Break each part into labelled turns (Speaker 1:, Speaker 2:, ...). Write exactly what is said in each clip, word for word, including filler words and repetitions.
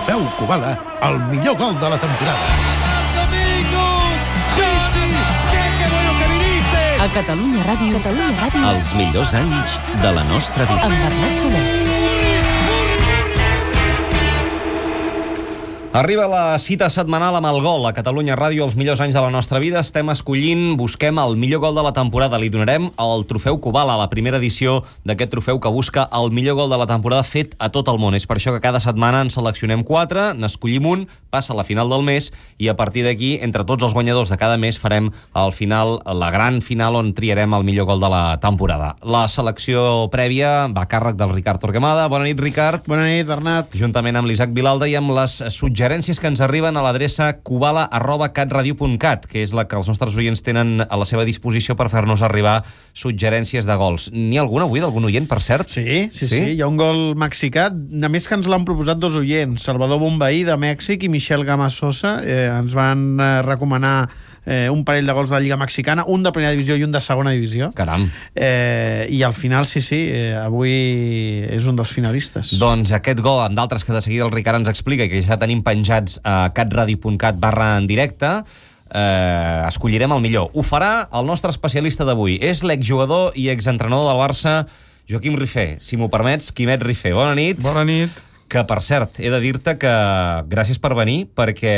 Speaker 1: Trofeu Kubala, el millor gol de la temporada.
Speaker 2: A Catalunya Ràdio, Catalunya Ràdio,
Speaker 3: Els millors anys de la nostra vida.
Speaker 2: amb Bernat Soler.
Speaker 3: Arriba la cita setmanal amb el gol. A Catalunya Ràdio, els millors anys de la nostra vida. Estem escollint, busquem el millor gol de la temporada. Li donarem el trofeu Kubala, la primera edició d'aquest trofeu que busca el millor gol de la temporada fet a tot el món. És per això que cada setmana en seleccionem quatre, n'escollim un, passa a la final del mes i a partir d'aquí, entre tots els guanyadors de cada mes, farem al final, la gran final on triarem el millor gol de la temporada. La selecció prèvia va a càrrec del Ricard Torquemada. Bona nit, Ricard.
Speaker 4: Bona nit, Bernat.
Speaker 3: Juntament amb l'Isaac Vilalda i amb les suggerències que ens arriben a l'adreça kubala arroba catradio punt cat, que és la que els nostres oients tenen a la seva disposició per fer-nos arribar suggerències de gols. N'hi ha alguna avui, d'algun oient, per cert?
Speaker 4: Sí, sí, sí, sí. Hi ha un gol mexicà, a més que ens l'han proposat dos oients, Salvador Bombaí, de Mèxic, i Michel Gama Sosa. Eh, ens van eh, recomanar eh, un parell de gols de la Lliga Mexicana, un de primera divisió i un de segona divisió.
Speaker 3: Caram.
Speaker 4: Eh, I al final, sí, sí, eh, avui és un dels finalistes.
Speaker 3: Doncs aquest gol, amb d'altres que de seguida el Ricard ens explica, que ja tenim penjats a catradio punt cat barra en directe, eh, escollirem el millor. Ho farà el nostre especialista d'avui. És l'exjugador i exentrenador del Barça, Joaquim Rifé. Si m'ho permets, Quimet Rifé. Bona nit.
Speaker 5: Bona nit.
Speaker 3: Que, per cert, he de dir-te que gràcies per venir, perquè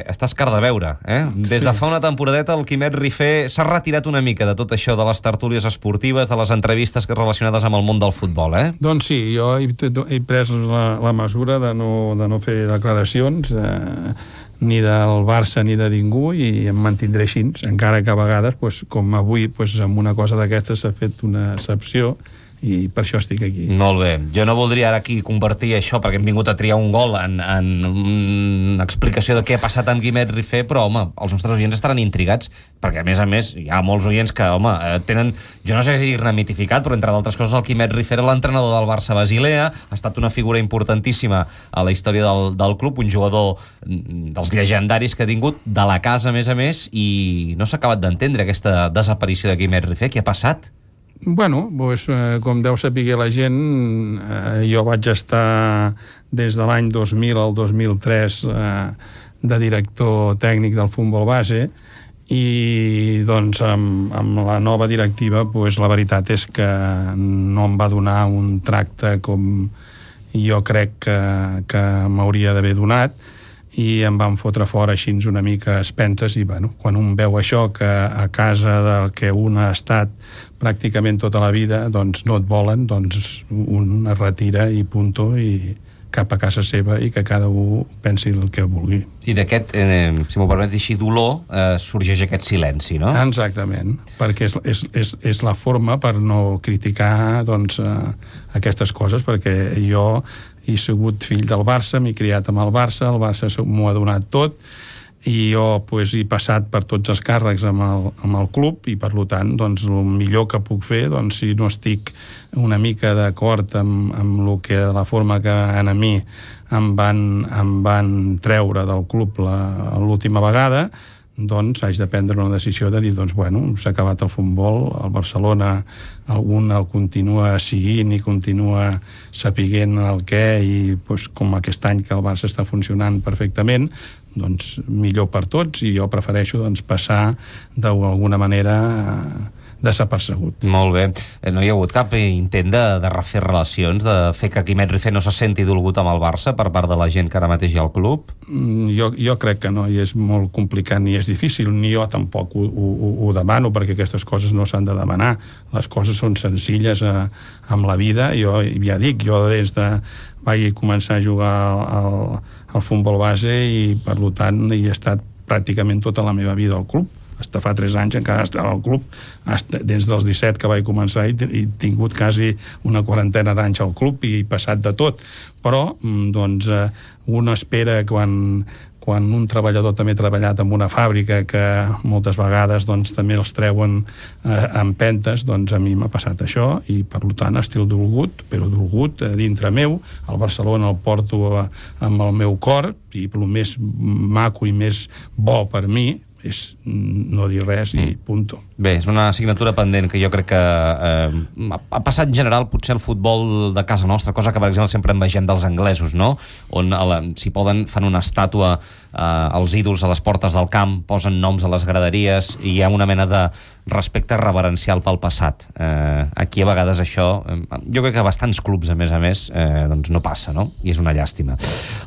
Speaker 3: estàs car de veure. Eh? Des de fa una temporadeta el Quimet Rifé s'ha retirat una mica de tot això de les tertúlies esportives, de les entrevistes relacionades amb el món del futbol. Eh?
Speaker 5: Doncs sí, jo he, he pres la, la mesura de no, de no fer declaracions eh, ni del Barça ni de ningú, i em mantindré així, encara que a vegades, pues, com avui, pues, amb una cosa d'aquestes s'ha fet una excepció, i per això estic aquí.
Speaker 3: Molt bé. Jo no voldria ara aquí convertir això, perquè hem vingut a triar un gol en, en una explicació de què ha passat amb Quimet Rifé, però, home, els nostres oients estaran intrigats, perquè, a més a més, hi ha molts oients que, home, tenen, jo no sé si dir-ne mitificat, però, entre d'altres coses, el Quimet Rifé era l'entrenador del Barça Basilea, ha estat una figura importantíssima a la història del, del club, un jugador dels llegendaris que ha tingut, de la casa, a més a més, i no s'ha acabat d'entendre aquesta desaparició de Quimet Rifé. Què ha passat?
Speaker 5: Bueno, doncs, eh, com deu saber la gent, eh, jo vaig estar des de l'any dos mil al dos mil tres eh, de director tècnic del futbol base, i doncs amb, amb la nova directiva, doncs, la veritat és que no em va donar un tracte com jo crec que, que m'hauria d'haver donat, i em van fotre fora així una mica a expenses. I bueno, quan un veu això, que a casa del que un ha estat pràcticament tota la vida, doncs no et volen, doncs un es retira i punto, i cap a casa seva, i que cada un pensi el que vulgui.
Speaker 3: I d'aquest, eh, si m'ho permets dir així, dolor, eh, sorgeix aquest silenci, no?
Speaker 5: Exactament, perquè és, és, és, és la forma per no criticar, doncs, eh, aquestes coses, perquè jo he sigut fill del Barça, m'he criat amb el Barça, el Barça m'ho ha donat tot, i jo pues, he passat per tots els càrrecs amb el, amb el club, i per tant, doncs, el millor que puc fer, doncs, si no estic una mica d'acord amb, amb lo que, la forma que a mi em van, em van treure del club la, l'última vegada, doncs haig de prendre una decisió de dir, doncs, bueno, s'ha acabat el futbol, el Barcelona algun el continua seguint i continua sapiguent el què, i doncs, com aquest any que el Barça està funcionant perfectament, doncs millor per tots, i jo prefereixo doncs, passar d'alguna manera desapercebut.
Speaker 3: Molt bé. No hi ha hagut cap intent de, de refer relacions, de fer que Quimet Rifé no se senti dolgut amb el Barça per part de la gent que ara mateix hi ha al club?
Speaker 5: Mm, jo, jo crec que no, i és molt complicat, ni és difícil, ni jo tampoc ho, ho, ho demano, perquè aquestes coses no s'han de demanar. Les coses són senzilles a, amb la vida. Jo ja dic, jo des de vaig començar a jugar al, al futbol base, i per tant hi he estat pràcticament tota la meva vida al club. Hasta fa tres anys encara estava al club, des dels disset que vaig començar, i he tingut quasi una quarantena d'anys al club, i he passat de tot. Però, doncs, un espera, quan, quan un treballador també ha treballat en una fàbrica, que moltes vegades doncs, també els treuen eh, empentes, doncs a mi m'ha passat això, i per tant estic dolgut, però dolgut eh, dintre meu. El Barcelona el porto eh, amb el meu cor, i el més maco i més bo per mi és no dir res i punto.
Speaker 3: Bé, és una assignatura pendent que jo crec que eh, ha passat en general potser el futbol de casa nostra, cosa que per exemple sempre envegem dels anglesos, no? On la, si poden fan una estàtua eh, als ídols a les portes del camp, posen noms a les graderies i hi ha una mena de respecte reverencial pel passat. Eh, aquí a vegades això, eh, jo crec que bastants clubs a més a més eh, doncs no passa, no? I és una llàstima.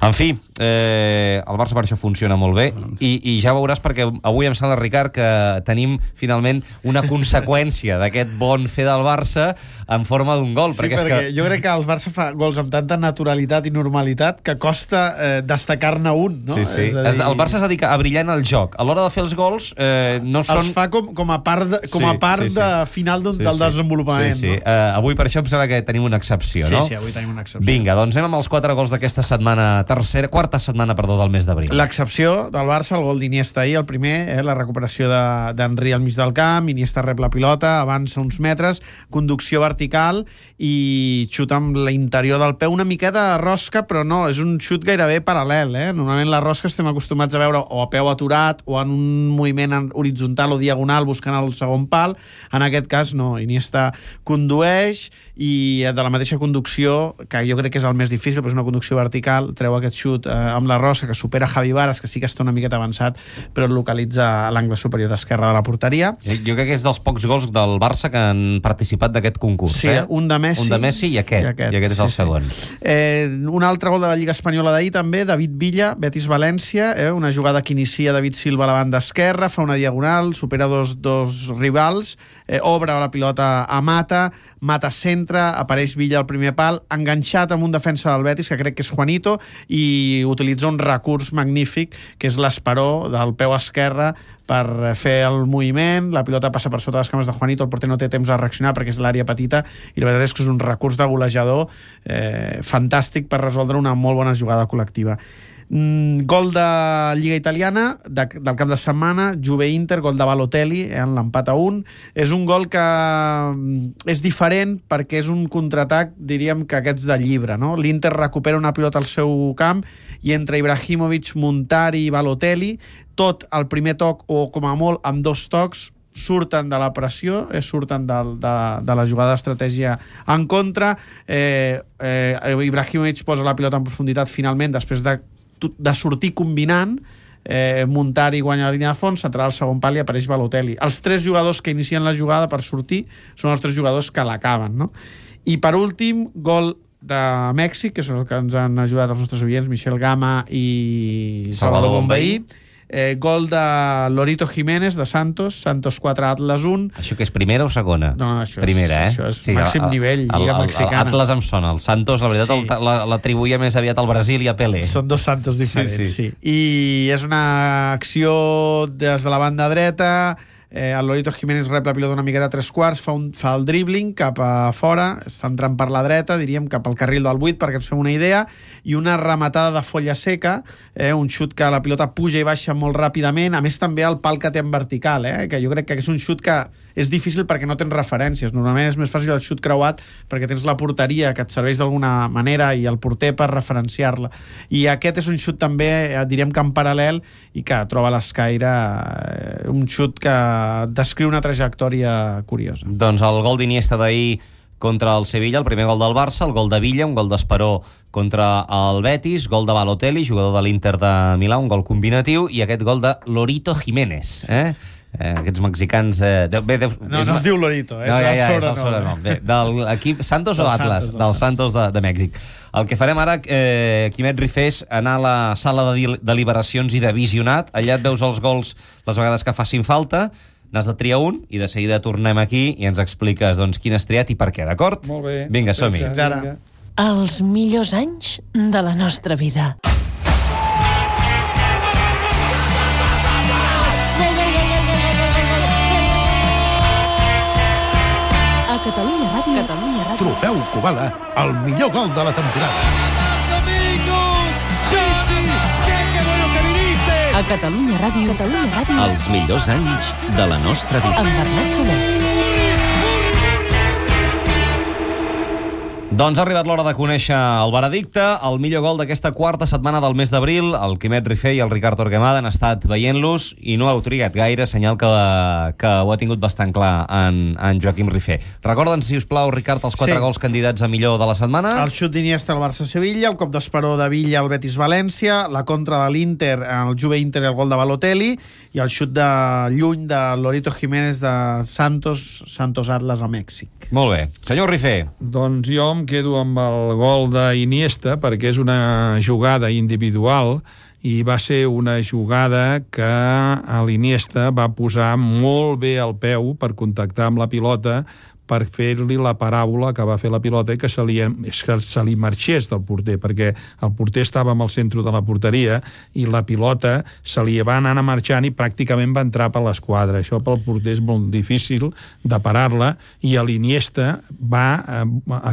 Speaker 3: En fi, eh, el Barça per això funciona molt bé i, i ja veuràs perquè avui em sembla, Ricard, que tenim finalment una conseqüència d'aquest bon fer del Barça en forma d'un gol.
Speaker 4: Sí,
Speaker 3: perquè,
Speaker 4: perquè
Speaker 3: és que...
Speaker 4: jo crec que el Barça fa gols amb tanta naturalitat i normalitat que costa eh, destacar-ne un, no?
Speaker 3: Sí, sí.
Speaker 4: És a dir...
Speaker 3: El Barça es dedica a brillar en el joc. A l'hora de fer els gols eh, no són...
Speaker 4: Els fa com, com a part, de, com
Speaker 3: sí,
Speaker 4: a part
Speaker 3: sí, sí.
Speaker 4: de final d'un,
Speaker 3: sí,
Speaker 4: del
Speaker 3: sí.
Speaker 4: desenvolupament.
Speaker 3: Sí, sí.
Speaker 4: No?
Speaker 3: Uh, avui per això em sembla que tenim una excepció,
Speaker 4: Sí,
Speaker 3: no?
Speaker 4: sí, avui tenim una excepció.
Speaker 3: Vinga, doncs anem amb els quatre gols d'aquesta setmana, tercera, quarta setmana, perdó, del mes d'abril.
Speaker 4: L'excepció del Barça, el gol d'Iniesta ahir, el primer, eh, la recuperació d'Henry al mig del camp, Iniesta rep la pilota, avança uns metres, conducció vertical i xut amb l'interior del peu, una miqueta de rosca, però no, és un xut gairebé paral·lel, eh? Normalment la rosca estem acostumats a veure o a peu aturat o en un moviment horitzontal o diagonal buscant el segon pal. En aquest cas no, Iniesta condueix i de la mateixa conducció, que jo crec que és el més difícil, però és una conducció vertical, treu aquest xut eh, amb la rosca que supera Javi Varas, que sí que està una miqueta avançat, però el localitza a l'angle superior esquerre de la porteria.
Speaker 3: Jo, jo crec que és dels pocs gols del Barça que han participat d'aquest concurs.
Speaker 4: Sí,
Speaker 3: eh?
Speaker 4: un de Messi,
Speaker 3: un de Messi i aquest, i aquest, i aquest és
Speaker 4: sí,
Speaker 3: el segon.
Speaker 4: Sí. Eh, un altre gol de la Lliga Espanyola d'ahir també, David Villa, Betis-València, eh, una jugada que inicia David Silva a la banda esquerra, fa una diagonal, supera dos, dos rivals, eh, obre la pilota a Mata, Mata centra, apareix Villa al primer pal, enganxat amb un defensa del Betis, que crec que és Juanito, i utilitza un recurs magnífic, que és l'esperó del peu esquerre per fer el moviment, la pilota passa per sota les cames de Juanito, el porter no té temps de reaccionar perquè és l'àrea petita, i la veritat és que és un recurs de golejador eh, fantàstic per resoldre una molt bona jugada col·lectiva. Mm, gol de Lliga Italiana de, del cap de setmana, Juve-Inter, gol de Balotelli eh, en l'empat a un. És un gol que mm, és diferent perquè és un contraatac, diríem que aquests de llibre, no? L'Inter recupera una pilota al seu camp i entre Ibrahimovic, Montari i Balotelli, tot al primer toc o com a molt amb dos tocs surten de la pressió, eh, surten de, de, de la jugada d'estratègia en contra. eh, eh, Ibrahimovic posa la pilota en profunditat finalment després de de sortir combinant, eh, Montari guanya la línia de fons, s'entrarà al segon pal i apareix Balotelli. Els tres jugadors que inicien la jugada per sortir són els tres jugadors que l'acaben, no? I per últim, gol de Mèxic, que són els que ens han ajudat els nostres oients, Michel Gama i Salvador Bonveí. Eh, gol de Lorito Jiménez de Santos, Santos quatre, Atlas un.
Speaker 3: Això que és primera o segona?
Speaker 4: No, no, això
Speaker 3: primera,
Speaker 4: és,
Speaker 3: eh?
Speaker 4: això és sí, màxim el, nivell, Lliga
Speaker 3: el,
Speaker 4: Mexicana.
Speaker 3: El Atlas em sona, el Santos, la veritat, sí. l'atribuïa més aviat al Brasil i a Pelé.
Speaker 4: Són dos Santos diferents, sí, sí.
Speaker 3: sí.
Speaker 4: I és una acció des de la banda dreta, eh, el Lorito Jiménez rep la pilota una miqueta a tres quarts, fa, un, fa el dribbling cap a fora, està entrant per la dreta, diríem cap al carril del vuit, perquè ens fem una idea, i una rematada de folla seca, eh, un xut que la pilota puja i baixa molt ràpidament, a més també el pal que té en vertical, eh, que jo crec que és un xut que és difícil perquè no tens referències. Normalment és més fàcil el xut creuat perquè tens la porteria que et serveix d'alguna manera i el porter per referenciar-la. I aquest és un xut també, diríem que en paral·lel, i que troba a l'escaire eh, un xut que descriu una trajectòria curiosa.
Speaker 3: Doncs el gol d'Iniesta d'ahir contra el Sevilla, el primer gol del Barça, el gol de Villa, un gol d'Esperó contra el Betis, gol de Balotelli, jugador de l'Inter de Milà, un gol combinatiu, i aquest gol de Lorito Jiménez, eh? Eh, aquests mexicans... Eh, de, bé, de,
Speaker 4: no, no es diu Lorito, eh?
Speaker 3: No, ja, ja,
Speaker 4: és
Speaker 3: és el sobrenom. Bé, de l'equip Santos o
Speaker 4: del
Speaker 3: Atlas?
Speaker 4: Santos,
Speaker 3: Dels Santos de, de Mèxic. El que farem ara, eh, Quimet Rifé, és anar a la sala de deliberacions i de visionat. Allà et veus els gols les vegades que facin falta, n'has de triar un i de seguida tornem aquí i ens expliques doncs, quin has triat i per què, d'acord?
Speaker 5: Molt bé.
Speaker 3: Vinga, som-hi.
Speaker 4: Fins ara.
Speaker 2: Els millors anys de la nostra vida. A Catalunya Ràdio. Catalunya Ràdio.
Speaker 1: Trofeu Kubala, el millor gol de la temporada.
Speaker 2: A Catalunya Ràdio. Catalunya Ràdio.
Speaker 6: Els millors anys de la nostra vida.
Speaker 2: Amb Bernat Soler.
Speaker 3: Doncs ha arribat l'hora de conèixer el veredicte. El millor gol d'aquesta quarta setmana del mes d'abril, el Quimet Rifé i el Ricard Torquemada han estat veient-los i no heu trigat gaire, senyal que, que ho ha tingut bastant clar en, en Joaquim Rifé. Recorda'ns, si us plau, Ricard, els quatre
Speaker 4: Sí.
Speaker 3: gols candidats a millor de la setmana.
Speaker 4: El xut d'Iniesta al Barça-Sevilla, el cop d'esperó de Villa al Betis-València, la contra de l'Inter, el Juve-Inter i el gol de Balotelli, i el xut de lluny de Lorito Jiménez de Santos, Santos Atlas a Mèxic.
Speaker 3: Molt bé. Senyor Rifé.
Speaker 5: Doncs jo em quedo amb el gol d'Iniesta perquè és una jugada individual i va ser una jugada que l'Iniesta va posar molt bé el peu per contactar amb la pilota, per fer-li la paràbola que va fer la pilota i que se li, que se li marxés del porter, perquè el porter estava en el centre de la porteria i la pilota se li va anar marxant i pràcticament va entrar per l'esquadra. Això pel porter és molt difícil de parar-la, i a l'Iniesta va, eh,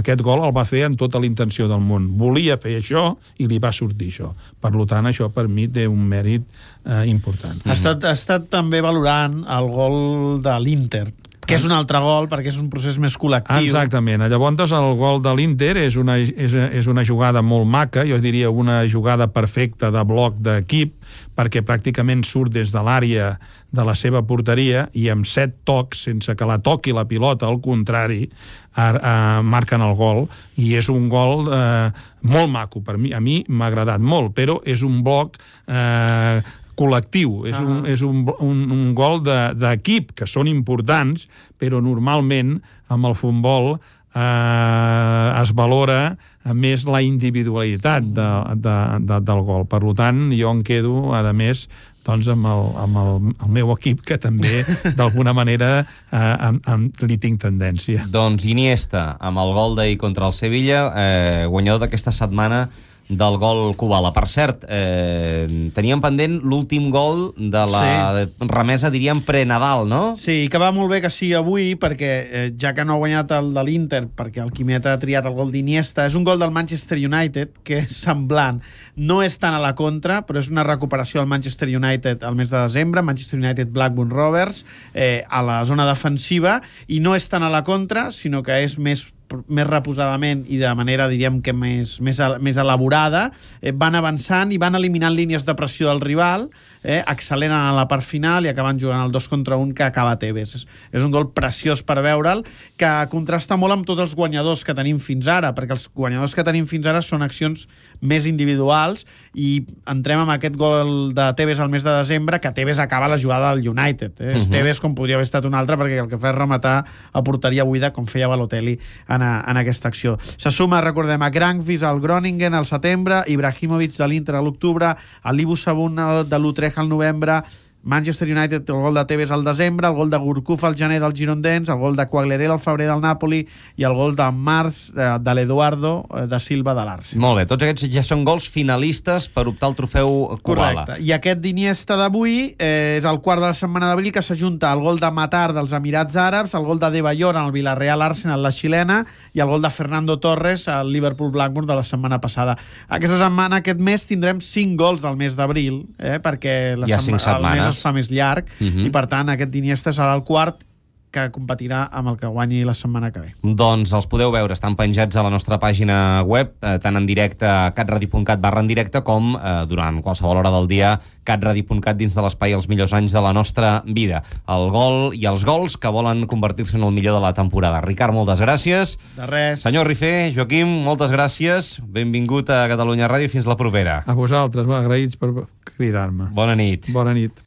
Speaker 5: aquest gol el va fer amb tota la intenció del món. Volia fer això i li va sortir això. Per tant, això per mi té un mèrit eh, important.
Speaker 4: Ha estat, ha estat també valorant el gol de l'Inter, que és un altre gol perquè és un procés més col·lectiu.
Speaker 5: Exactament. Llavors, el gol de l'Inter és una, és, és una jugada molt maca, jo diria una jugada perfecta de bloc d'equip, perquè pràcticament surt des de l'àrea de la seva porteria i amb set tocs, sense que la toqui la pilota, al contrari, a, a, marquen el gol, i és un gol eh, molt maco. Per mi, a mi m'ha agradat molt, però és un bloc eh, col·lectiu, és, un, és un, un, un gol d'equip, que són importants, però normalment amb el futbol eh, es valora més la individualitat de, de, de, del gol. Per tant, jo em quedo, a més, doncs amb, el, amb el, el meu equip, que també d'alguna manera eh, amb, amb, li tinc tendència.
Speaker 3: Doncs Iniesta, amb el gol d'ahir contra el Sevilla, eh, guanyador d'aquesta setmana del gol Kubala. Per cert, eh, teníem pendent l'últim gol de la sí. remesa, diríem, pre-Nadal, no?
Speaker 4: Sí, que va molt bé que sigui avui, perquè eh, ja que no ha guanyat el de l'Inter, perquè el Quimet ha triat el gol d'Iniesta, és un gol del Manchester United, que és semblant. No és tant a la contra, però és una recuperació del Manchester United al mes de desembre, Manchester United Blackburn Rovers, eh, a la zona defensiva, i no és tant a la contra, sinó que és més més reposadament i de manera, diríem que més, més, més elaborada, eh, van avançant i van eliminant línies de pressió del rival, eh, acceleren a la part final i acaben jugant el dos contra un que acaba Tevez. És, és un gol preciós per veure'l, que contrasta molt amb tots els guanyadors que tenim fins ara, perquè els guanyadors que tenim fins ara són accions més individuals, i entrem amb aquest gol de Tevez al mes de desembre, que Tevez acaba la jugada del United. Eh? Uh -huh. Tevez com podria haver estat un altre, perquè el que fa és rematar a porteria buida, com feia Balotelli en, a, en aquesta acció. Se suma, recordem, a Grankvis al Groningen al setembre, Ibrahimovic de l'Inter a l'octubre, a l'Ibu Sabun de l'Utrecht al novembre, Manchester United, el gol de Tevez al desembre, el gol de Gourcuff al gener del Girondins, el gol de Quagliarella al febrer del Napoli i el gol de març de, de l'Eduardo de Silva de l'Arsenal.
Speaker 3: Molt bé, tots aquests ja són gols finalistes per optar al trofeu Kubala.
Speaker 4: Correcte. I aquest d'Iniesta d'avui eh, és el quart de la setmana d'abril, que s'ajunta el gol de Matar dels Emirats Àrabs, el gol de De Bayor en el Villarreal Arsenal, la xilena, i el gol de Fernando Torres al Liverpool Blackburn de la setmana passada. Aquesta setmana, aquest mes, tindrem cinc gols del mes d'abril, eh, perquè la
Speaker 3: Hi ha cinc setmanes.
Speaker 4: el mes es fa més llarg,
Speaker 3: uh -huh.
Speaker 4: i per tant aquest d'Iniesta serà el quart, que competirà amb el que guanyi la setmana que ve.
Speaker 3: Doncs els podeu veure, estan penjats a la nostra pàgina web, eh, tant en directe a catradio punt cat barra en directe, com eh, durant qualsevol hora del dia catradio punt cat dins de l'espai Els millors anys de la nostra vida. El gol i els gols que volen convertir-se en el millor de la temporada. Ricard, moltes gràcies.
Speaker 4: De res.
Speaker 3: Senyor Rifé, Joaquim, moltes gràcies. Benvingut a Catalunya Ràdio, fins la propera.
Speaker 5: A vosaltres, agraïts per cridar-me.
Speaker 3: Bona nit.
Speaker 5: Bona nit.